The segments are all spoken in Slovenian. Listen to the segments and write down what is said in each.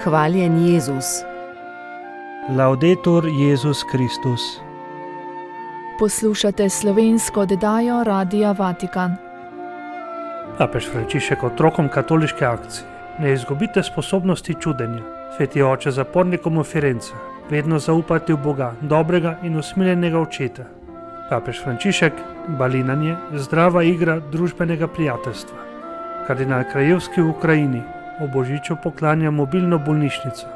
Hvaljen Jezus. Laudetur Jezus Kristus. Poslušate slovensko oddajo Radia Vatikan. Papež Frančišek otrokom katoliške akcije: ne izgubite sposobnosti čudenja. Sveti oče zapornikom v Firenze: vedno zaupajte v Boga, dobrega in usmiljenega očeta. Papež Frančišek: balinanje, zdrava igra družbenega prijateljstva. Kardinal Krajevski v Ukrajini: ob božiču poklanja mobilno bolnišnico.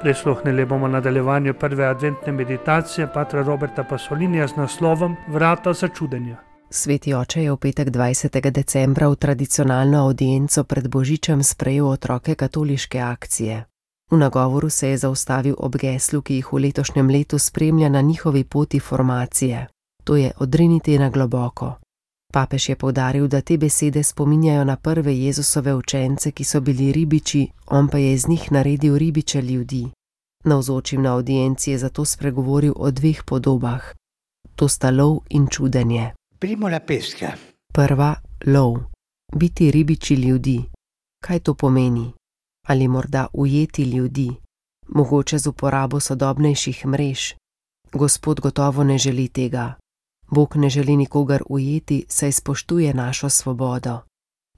Prisluhnili bomo nadaljevanju prve adventne meditacije patra Roberta Pasolinija z naslovom Vrata za čudenja. Sveti oče je v petek 20. decembra v tradicionalno avdienco pred božičem sprejel otroke katoliške akcije. V nagovoru se je zaustavil ob geslu, ki jih v letošnjem letu spremlja na njihovi poti formacije. To je odriniti na globoko. Papež je poudaril, da te besede spominjajo na prve Jezusove učence, ki so bili ribiči, on pa je iz njih naredil ribiče ljudi. Navzočim na avdienci je zato spregovoril o dveh podobah. To sta lov in čudenje. Prva, lov. Biti ribiči ljudi. Kaj to pomeni? Ali morda ujeti ljudi? Mogoče z uporabo sodobnejših mrež? Gospod gotovo ne želi tega. Bog ne želi nikogar ujeti, saj spoštuje našo svobodo.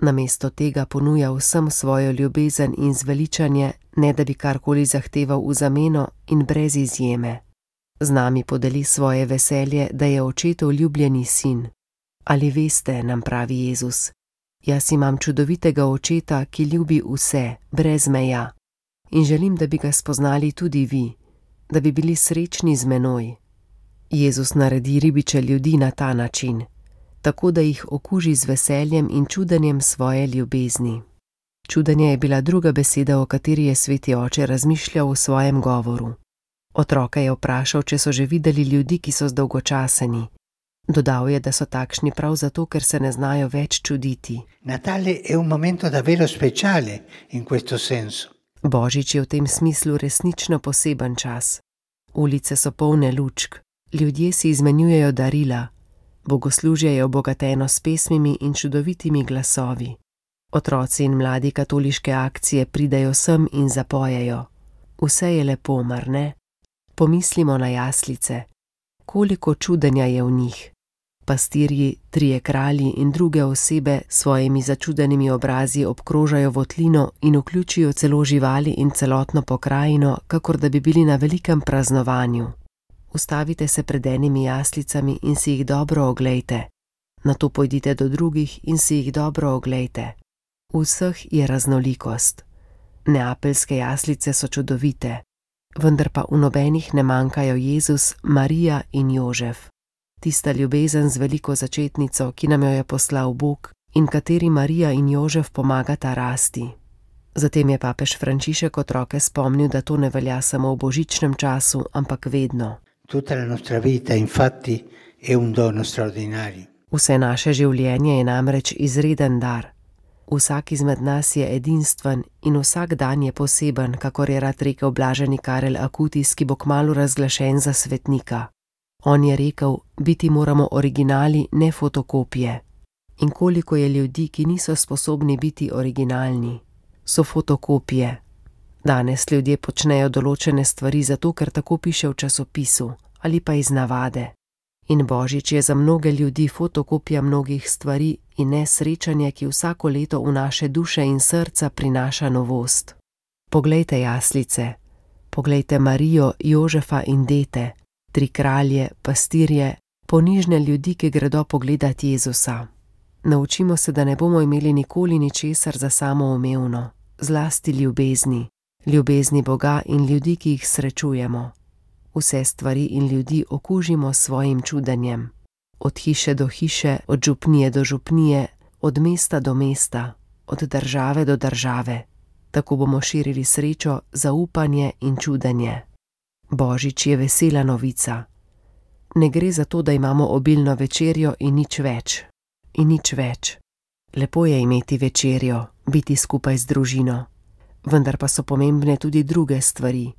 Namesto tega ponuja vsem svojo ljubezen in zveličanje, ne da bi karkoli zahteval v zameno in brez izjeme. Z nami podeli svoje veselje, da je očetov ljubljeni sin. Ali veste, nam pravi Jezus, jaz imam čudovitega očeta, ki ljubi vse, brez meja. In želim, da bi ga spoznali tudi vi, da bi bili srečni z menoj. Jezus naredi ribiče ljudi na ta način, tako da jih okuži z veseljem in čudenjem svoje ljubezni. Čudenje je bila druga beseda, o kateri je sveti oče razmišljal v svojem govoru. Otroka je vprašal, če so že videli ljudi, ki so zdolgočaseni. Dodal je, da so takšni prav zato, ker se ne znajo več čuditi. Natale è un momento davvero speciale in questo senso. Božič je v tem smislu resnično poseben čas. Ulice so polne lučk. Ljudje si izmenjujejo darila, bogoslužje je obogateno s pesmimi in čudovitimi glasovi. Otroci in mladi katoliške akcije pridejo sem in zapojejo. Vse je lepo, mar ne? Pomislimo na jaslice. Koliko čudenja je v njih. Pastirji, trije kralji in druge osebe s svojimi začudenimi obrazi obkrožajo votlino in vključijo celo živali in celotno pokrajino, kakor da bi bili na velikem praznovanju. Ustavite se pred enimi jaslicami in si jih dobro oglejte. Nato pojdite do drugih in si jih dobro oglejte. V vseh je raznolikost. Neapeljske jaslice so čudovite, vendar pa v nobenih ne manjkajo Jezus, Marija in Jožef. Tista ljubezen z veliko začetnico, ki nam jo je poslal Bog in kateri Marija in Jožef pomagata rasti. Zatem je papež Frančišek otroke spomnil, da to ne velja samo v božičnem času, ampak vedno. Tutta la nostra vita, infatti, è un dono straordinario. Vse naše življenje je namreč izreden dar. Vsak izmed nas je edinstven in vsak dan je poseben, kakor je rad rekel blaženi Karel Akutis, ki bo kmalu razglašen za svetnika. On je rekel, biti moramo originali, ne fotokopije. In koliko je ljudi, ki niso sposobni biti originalni, so fotokopije. Danes ljudje počnejo določene stvari zato, ker tako piše v časopisu ali pa iz navade. In božič je za mnoge ljudi fotokopija mnogih stvari in ne srečanje, ki vsako leto v naše duše in srca prinaša novost. Poglejte jaslice, poglejte Marijo, Jožefa in dete, tri kralje, pastirje, ponižne ljudi, ki gredo pogledat Jezusa. Naučimo se, da ne bomo imeli nikoli ničesar za samoumevno, zlasti ljubezni Boga in ljudi, ki jih srečujemo. Vse stvari in ljudi okužimo s svojim čudenjem. Od hiše do hiše, od župnije do župnije, od mesta do mesta, od države do države. Tako bomo širili srečo, zaupanje in čudenje. Božič je vesela novica. Ne gre za to, da imamo obilno večerjo in nič več. In nič več. Lepo je imeti večerjo, biti skupaj z družino. Vendar pa so pomembne tudi druge stvari.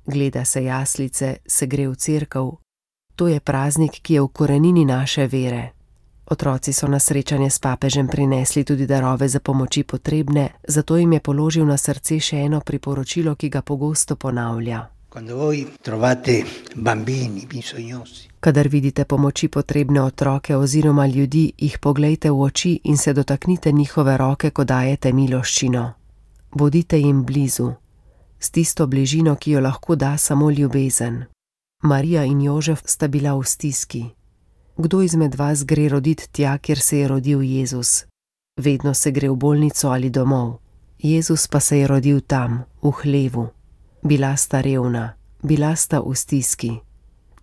Gleda se jaslice, se gre v cerkev. To je praznik, ki je v korenini naše vere. Otroci so na srečanje s papežem prinesli tudi darove za pomoči potrebne, zato jim je položil na srce še eno priporočilo, ki ga pogosto ponavlja. Kadar vidite pomoči potrebne otroke oziroma ljudi, jih poglejte v oči in se dotaknite njihove roke, ko dajete miloščino. Bodite jim blizu, s tisto bližino, ki jo lahko da samo ljubezen. Marija in Jožef sta bila v stiski. Kdo izmed vas gre roditi tja, kjer se je rodil Jezus? Vedno se gre v bolnico ali domov. Jezus pa se je rodil tam, v hlevu. Bila sta revna, bila sta v stiski.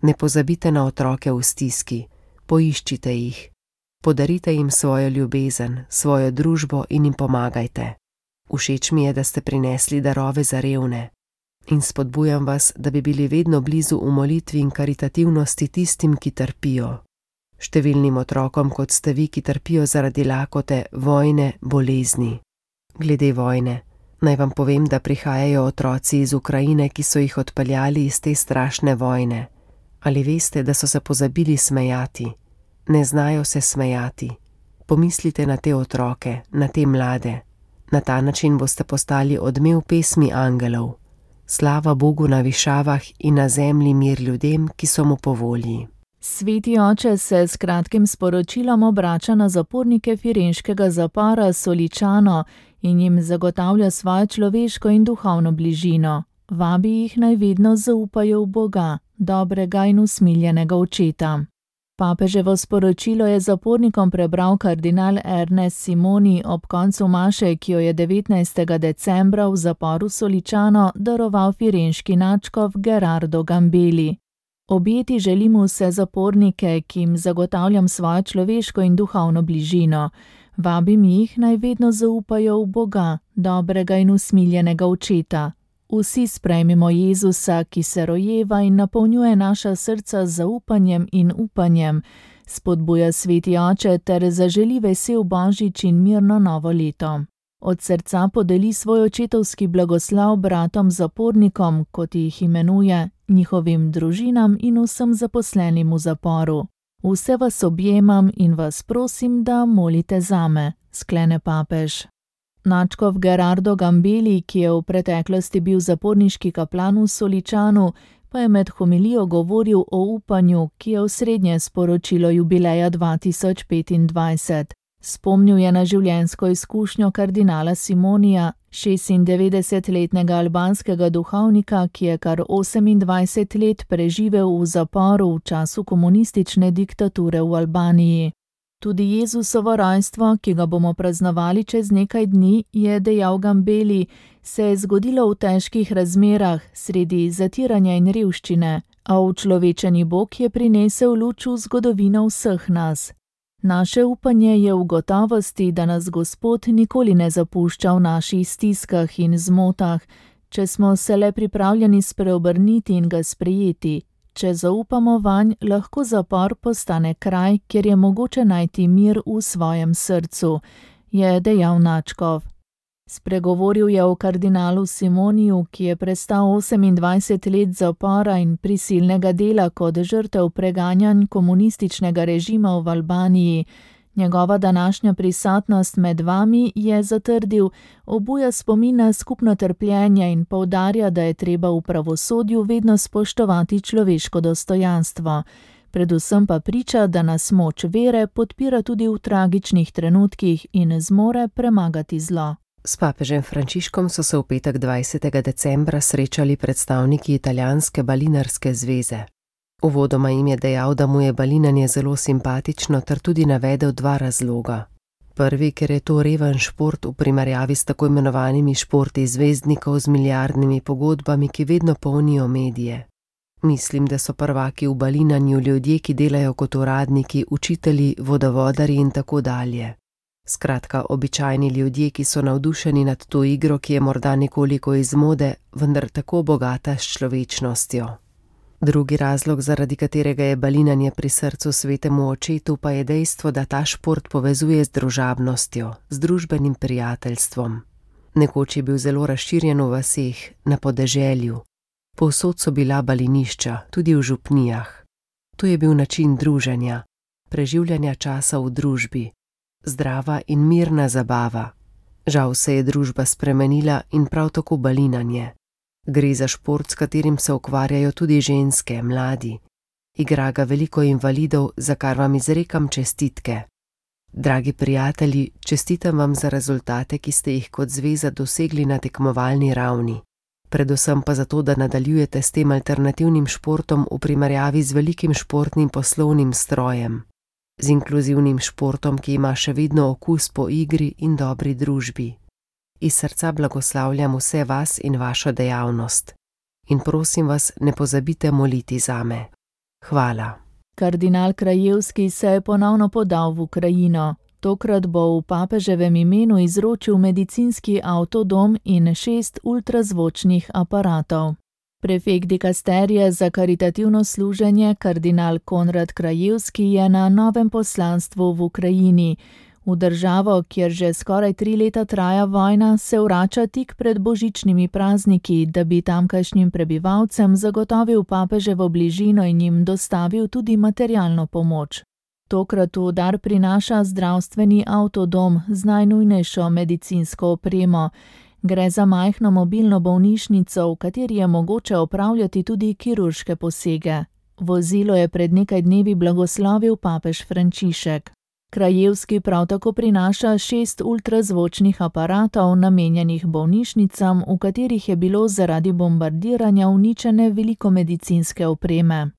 Ne pozabite na otroke v stiski, poiščite jih. Podarite jim svojo ljubezen, svojo družbo in jim pomagajte. Všeč mi je, da ste prinesli darove za revne. In spodbujam vas, da bi bili vedno blizu v molitvi in karitativnosti tistim, ki trpijo. Številnim otrokom, kot ste vi, ki trpijo zaradi lakote, vojne, bolezni. Glede vojne, naj vam povem, da prihajajo otroci iz Ukrajine, ki so jih odpeljali iz te strašne vojne. Ali veste, da so se pozabili smejati? Ne znajo se smejati. Pomislite na te otroke, na te mlade. Na ta način boste postali odmev pesmi angelov. Slava Bogu na višavah in na zemlji mir ljudem, ki so mu po volji. Sveti oče se s kratkim sporočilom obrača na zapornike firenškega zapora Soličano in jim zagotavlja svojo človeško in duhovno bližino. Vabi jih, naj vedno zaupajo v Boga, dobrega in usmiljenega očeta. Papeževo sporočilo je zapornikom prebral kardinal Ernest Simoni ob koncu maše, ki jo je 19. decembra v zaporu Soličano daroval firenški nadškof Gerardo Gambeli. Objeti želim vse zapornike, ki jim zagotavljam svojo človeško in duhovno bližino. Vabim jih, naj vedno zaupajo v Boga, dobrega in usmiljenega očeta. Vsi sprejmimo Jezusa, ki se rojeva in napolnjuje naša srca z zaupanjem in upanjem, spodbuja sveti oče ter zaželi vesel božič in mirno novo leto. Od srca podeli svoj očetovski blagoslov bratom zapornikom, kot jih imenuje, njihovim družinam in vsem zaposlenim v zaporu. Vse vas objemam in vas prosim, da molite zame, sklene papež. Nadškof Gerardo Gambeli, ki je v preteklosti bil zaporniški kaplan v Soličanu, pa je med homilijo govoril o upanju, ki je osrednje sporočilo jubileja 2025. Spomnil je na življenjsko izkušnjo kardinala Simonija, 96-letnega albanskega duhovnika, ki je kar 28 let preživel v zaporu v času komunistične diktature v Albaniji. Tudi Jezusovo rojstvo, ki ga bomo praznovali čez nekaj dni, je dejal Gambeli, se je zgodilo v težkih razmerah, sredi zatiranja in revščine, a učlovečeni Bog je prinesel luč v zgodovino vseh nas. Naše upanje je v gotovosti, da nas Gospod nikoli ne zapušča v naših stiskah in zmotah, če smo se le pripravljeni spreobrniti in ga sprejeti. Če zaupamo vanj, lahko zapor postane kraj, kjer je mogoče najti mir v svojem srcu, je dejal nadškof. Spregovoril je o kardinalu Simoniju, ki je prestal 28 let zapora in prisilnega dela kot žrtev preganjanj komunističnega režima v Albaniji. Njegova današnja prisotnost med vami, je zatrdil, obuja spomin na skupno trpljenje in poudarja, da je treba v pravosodju vedno spoštovati človeško dostojanstvo. Predvsem pa priča, da nas moč vere podpira tudi v tragičnih trenutkih in zmore premagati zlo. S papežem Frančiškom so se v petek 20. decembra srečali predstavniki italijanske balinarske zveze. Uvodoma jim je dejal, da mu je balinanje zelo simpatično ter tudi navedel dva razloga. Prvi, ker je to reven šport v primerjavi s tako imenovanimi športi zvezdnikov z milijardnimi pogodbami, ki vedno polnijo medije. Mislim, da so prvaki v balinanju ljudje, ki delajo kot uradniki, učitelji, vodovodarji in tako dalje. Skratka, običajni ljudje, ki so navdušeni nad to igro, ki je morda nekoliko iz mode, vendar tako bogata s človečnostjo. Drugi razlog, zaradi katerega je balinanje pri srcu svetemu očetu, pa je dejstvo, da ta šport povezuje z družabnostjo, z družbenim prijateljstvom. Nekoč je bil zelo razširjen v vaseh, na podeželju. Povsod so bila balinišča, tudi v župnijah. To je bil način druženja. preživljanja časa v družbi. Zdrava in mirna zabava. Žal se je družba spremenila in prav tako balinanje. Gre za šport, s katerim se ukvarjajo tudi ženske, mladi. Igra ga veliko invalidov, za kar vam izrekam čestitke. Dragi prijatelji, čestitam vam za rezultate, ki ste jih kot zveza dosegli na tekmovalni ravni. Predvsem pa zato, da nadaljujete s tem alternativnim športom v primerjavi z velikim športnim poslovnim strojem. Z inkluzivnim športom, ki ima še vedno okus po igri in dobri družbi. Iz srca blagoslavljam vse vas in vašo dejavnost. In prosim vas, ne pozabite moliti zame. Hvala. Kardinal Krajevski se je ponovno podal v Ukrajino. Tokrat bo v papeževem imenu izročil medicinski avtodom in 6 ultrazvočnih aparatov. Prefekt dikasterije za karitativno služenje, kardinal Konrad Krajevski, je na novem poslanstvu v Ukrajini. V državo, kjer že skoraj 3 leta traja vojna, se vrača tik pred božičnimi prazniki, da bi tamkajšnjim prebivalcem zagotovil papeževo bližino in jim dostavil tudi materialno pomoč. Tokrat v dar prinaša zdravstveni avtodom z najnujnejšo medicinsko opremo. Gre za majhno mobilno bolnišnico, v kateri je mogoče opravljati tudi kirurške posege. Vozilo je pred nekaj dnevi blagoslovil papež Frančišek. Krajevski prav tako prinaša 6 ultrazvočnih aparatov, namenjenih bolnišnicam, v katerih je bilo zaradi bombardiranja uničene veliko medicinske opreme.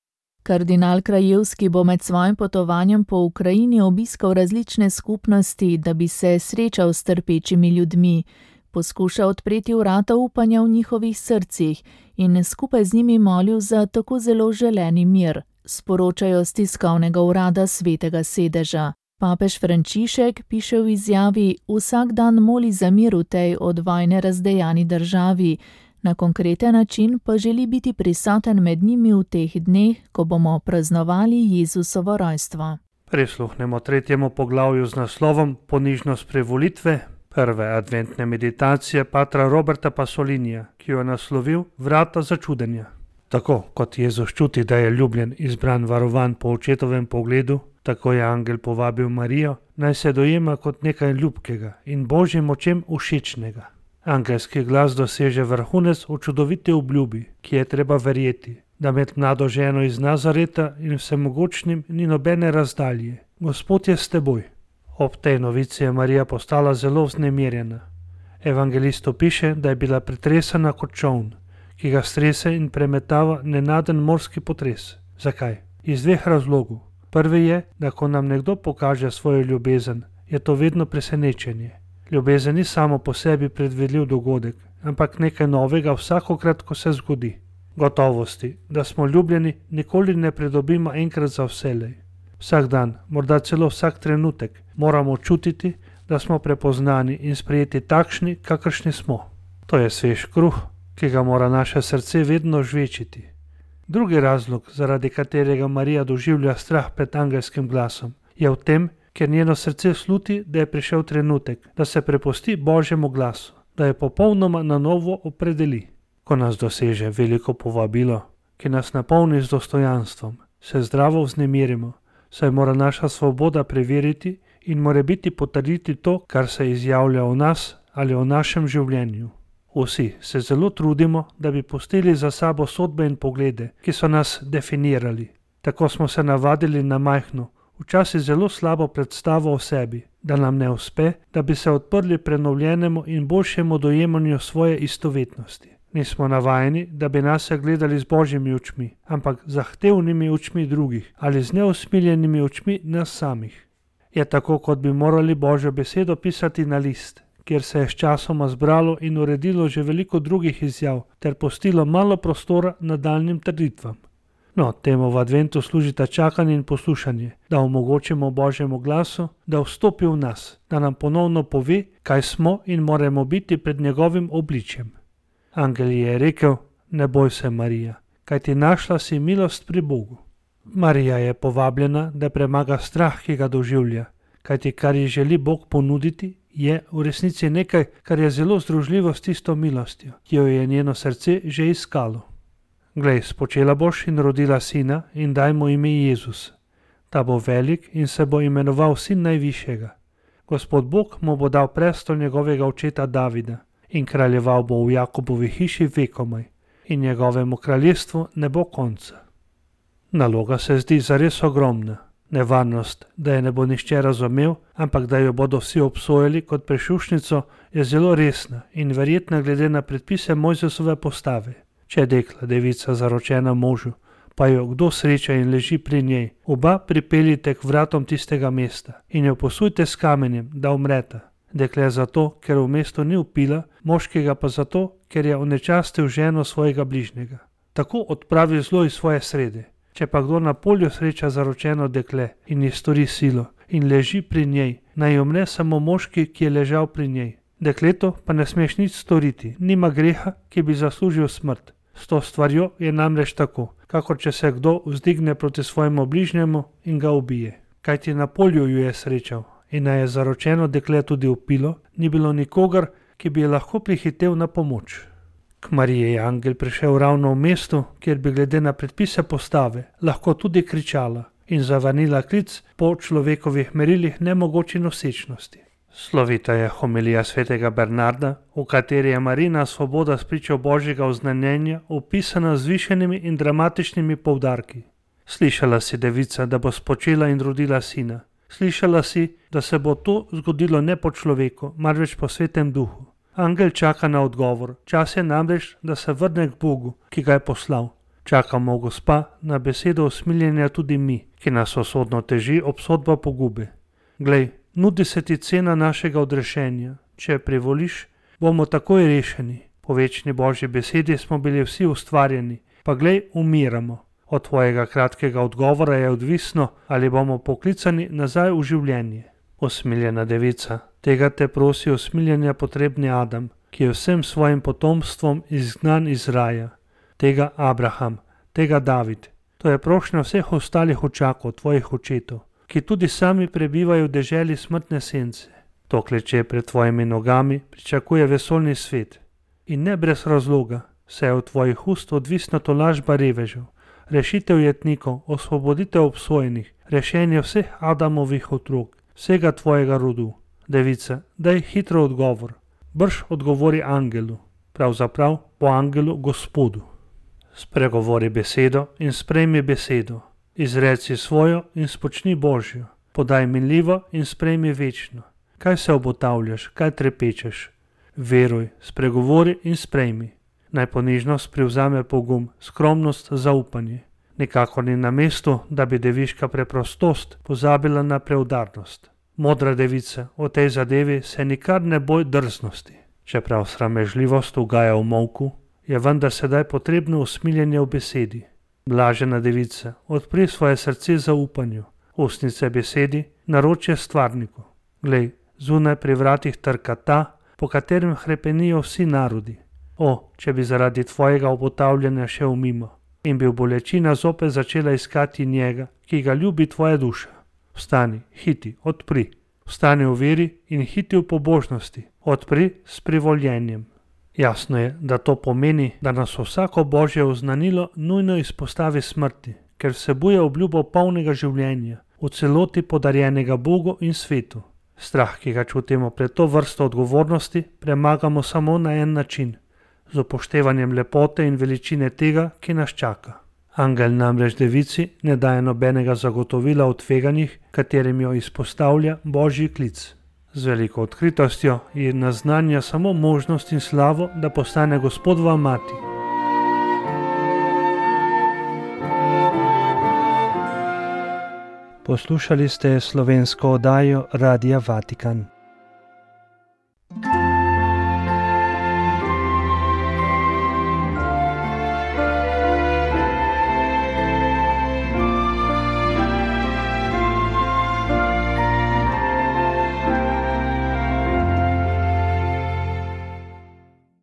Kardinal Krajevski bo med svojim potovanjem po Ukrajini obiskal različne skupnosti, da bi se srečal s trpečimi ljudmi, poskušal odpreti vrata upanja v njihovih srcih in skupaj z njimi molil za tako zelo želeni mir, sporočajo s tiskovnega urada Svetega sedeža. Papež Frančišek, piše v izjavi, vsak dan moli za mir v tej od vojne razdejani državi, na konkreten način pa želi biti prisoten med njimi v teh dneh, ko bomo praznovali Jezusovo rojstvo. Prisluhnemo 3. poglavju z naslovom Ponižnost privolitve, prve adventne meditacije patra Roberta Pasolinija, ki jo je naslovil Vrata začudenja. Tako kot Jezus čuti, da je ljubljen, izbran, varovan po očetovem pogledu, tako je angel povabil Marijo, naj se dojema kot nekaj ljubkega in Božjim očem všečnega. Angelski glas doseže vrhunec v čudoviti obljubi, ki je treba verjeti, da med mlado ženo iz Nazareta in vsemogočnim ni nobene razdalje. Gospod je s teboj. Ob tej novici je Marija postala zelo vznemirjena. Evangelistu piše, da je bila pretresena kot čoln, ki ga strese in premetava nenaden morski potres. Zakaj? Iz 2 razlogov. Prvi je, da ko nam nekdo pokaže svojo ljubezen, je to vedno presenečenje. Ljubezen ni samo po sebi predvidljiv dogodek, ampak nekaj novega vsakokrat, ko se zgodi. Gotovosti, da smo ljubljeni, nikoli ne pridobimo enkrat za vselej. Vsak dan, morda celo vsak trenutek, moramo čutiti, da smo prepoznani in sprejeti takšni, kakršni smo. To je svež kruh, ki ga mora naše srce vedno žvečiti. Drugi razlog, zaradi katerega Marija doživlja strah pred angelskim glasom, je v tem, ker njeno srce sluti, da je prišel trenutek, da se prepusti Božjemu glasu, da je popolnoma na novo opredeli. Ko nas doseže veliko povabilo, ki nas napolni z dostojanstvom, se zdravo vznemirimo, saj mora naša svoboda preveriti in morebiti potrditi to, kar se izjavlja o nas ali o našem življenju. Vsi se zelo trudimo, da bi pustili za sabo sodbe in poglede, ki so nas definirali. Tako smo se navadili na majhno, včasih zelo slabo predstavo o sebi, da nam ne uspe, da bi se odprli prenovljenemu in boljšemu dojemanju svoje istovetnosti. Nismo navajeni, da bi nas gledali z Božjimi očmi, ampak zahtevnimi očmi drugih ali z neusmiljenimi očmi nas samih. Je tako, kot bi morali Božjo besedo pisati na list, kjer se je sčasoma zbralo in uredilo že veliko drugih izjav ter pustilo malo prostora nadaljnjim trditvam. No, temu v adventu služita čakanje in poslušanje, da omogočimo Božjemu glasu, da vstopi v nas, da nam ponovno pove, kaj smo in moramo biti pred njegovim obličjem. Angel je rekel, ne boj se, Marija, kajti našla si milost pri Bogu. Marija je povabljena, da premaga strah, ki ga doživlja, kajti kar ji želi Bog ponuditi, je v resnici nekaj, kar je zelo združljivo s tisto milostjo, ki jo je njeno srce že iskalo. Glej, spočela boš in rodila sina in daj mu ime Jezus. Ta bo velik in se bo imenoval sin najvišjega. Gospod Bog mu bo dal prestol njegovega očeta Davida in kraljeval bo v Jakobovi hiši vekomaj in njegovemu kraljestvu ne bo konca. Naloga se zdi zares ogromna. Nevarnost, da je ne bo nihče razumel, ampak da jo bodo vsi obsojali kot prešušnico, je zelo resna in verjetna glede na predpise Mojzesove postave. Če je dekla devica zaročena možu, pa jo kdo sreča in leži pri njej, oba pripeljite k vratom tistega mesta in jo posujte s kamenjem, da umreta. Dekle zato, ker v mestu ni vpila, moškega pa zato, ker je onečastil ženo svojega bližnjega. Tako odpravi zlo iz svoje srede. Če pa kdo na polju sreča zaročeno dekle in ji stori silo in leži pri njej, naj umre samo moški, ki je ležal pri njej. Dekleto pa ne smeš nič storiti, nima greha, ki bi zaslužil smrt. S to stvarjo je namreč tako, kakor če se kdo vzdigne proti svojemu bližnjemu in ga ubije. Kajti na polju ju je srečal in naj je zaročeno dekle tudi vpilo, ni bilo nikogar, ki bi je lahko prihitev na pomoč. K Mariji je angel prišel ravno v mestu, kjer bi glede na predpise postave lahko tudi kričala in zavrnila klic po človekovih merilih nemogoči nosečnosti. Slovita je homilija svetega Bernarda, v kateri je Marijina svoboda spričo Božjega oznanjenja opisana z višenimi in dramatičnimi poudarki. Slišala si, devica, da bo spočela in rodila sina. Slišala si, da se bo to zgodilo ne po človeku, marveč po svetem duhu. Angel čaka na odgovor, čas je namreč, da se vrne k Bogu, ki ga je poslal. Čakamo, Gospa, na besedo usmiljenja tudi mi, ki nas osodno teži obsodba pogube. Glej, nudi se ti cena našega odrešenja. Če privoliš, bomo takoj rešeni. Po večni Božji besedi smo bili vsi ustvarjeni, pa glej, umiramo. Od tvojega kratkega odgovora je odvisno, ali bomo poklicani nazaj v življenje. Usmiljena devica, tega te prosi usmiljenja potrebni Adam, ki je vsem svojim potomstvom izgnan iz raja. Tega Abraham, tega David. To je prošnja vseh ostalih očakov, tvojih očetov, ki tudi sami prebivajo v deželi smrtne sence. To kleče pred tvojimi nogami pričakuje vesoljni svet. In ne brez razloga, saj je od tvojih ust odvisna tolažba revežev, rešitev jetnikov, osvoboditev obsojenih, rešenje vseh Adamovih otrok, vsega tvojega rodu. Devica, daj hitro odgovor. Brž odgovori angelu, pravzaprav po angelu Gospodu. Spregovori besedo in sprejmi besedo. Izreci svojo in spočni Božjo. Podaj minljivo in sprejmi večno. Kaj se obotavljaš, kaj trepečeš? Veruj, spregovori in sprejmi. Naj ponižnost privzame pogum, skromnost zaupanje. Nikakor ni na mestu, da bi deviška preprostost pozabila na preudarnost. Modra devica, o tej zadevi se nikar ne boj drznosti. Čeprav sramežljivost ugaja v molku, je vendar sedaj potrebno usmiljenje v besedi. Blažena devica, odpri svoje srce zaupanju, ustnice besedi, naročje stvarniku. Glej, zunaj pri vratih trka ta, po katerem hrepenijo vsi narodi. O, če bi zaradi tvojega obotavljanja šel mimo in bi bolečina zopet začela iskati njega, ki ga ljubi tvoja duša. Vstani, hiti, odpri. Vstani v veri in hiti v pobožnosti. Odpri s privoljenjem. Jasno je, da to pomeni, da nas vsako Božje oznanilo nujno izpostavi smrti, ker vsebuje obljubo polnega življenja, v celoti podarjenega Bogu in svetu. Strah, ki ga čutimo pred to vrsto odgovornosti, premagamo samo na en način, z upoštevanjem lepote in veličine tega, ki nas čaka. Angel namreč devici ne daje nobenega zagotovila o tveganjih, katerim jo izpostavlja Božji klic. Z veliko odkritostjo ji naznanja samo možnost in slavo, da postane Gospodova mati. Poslušali ste slovensko oddajo Radia Vatikan.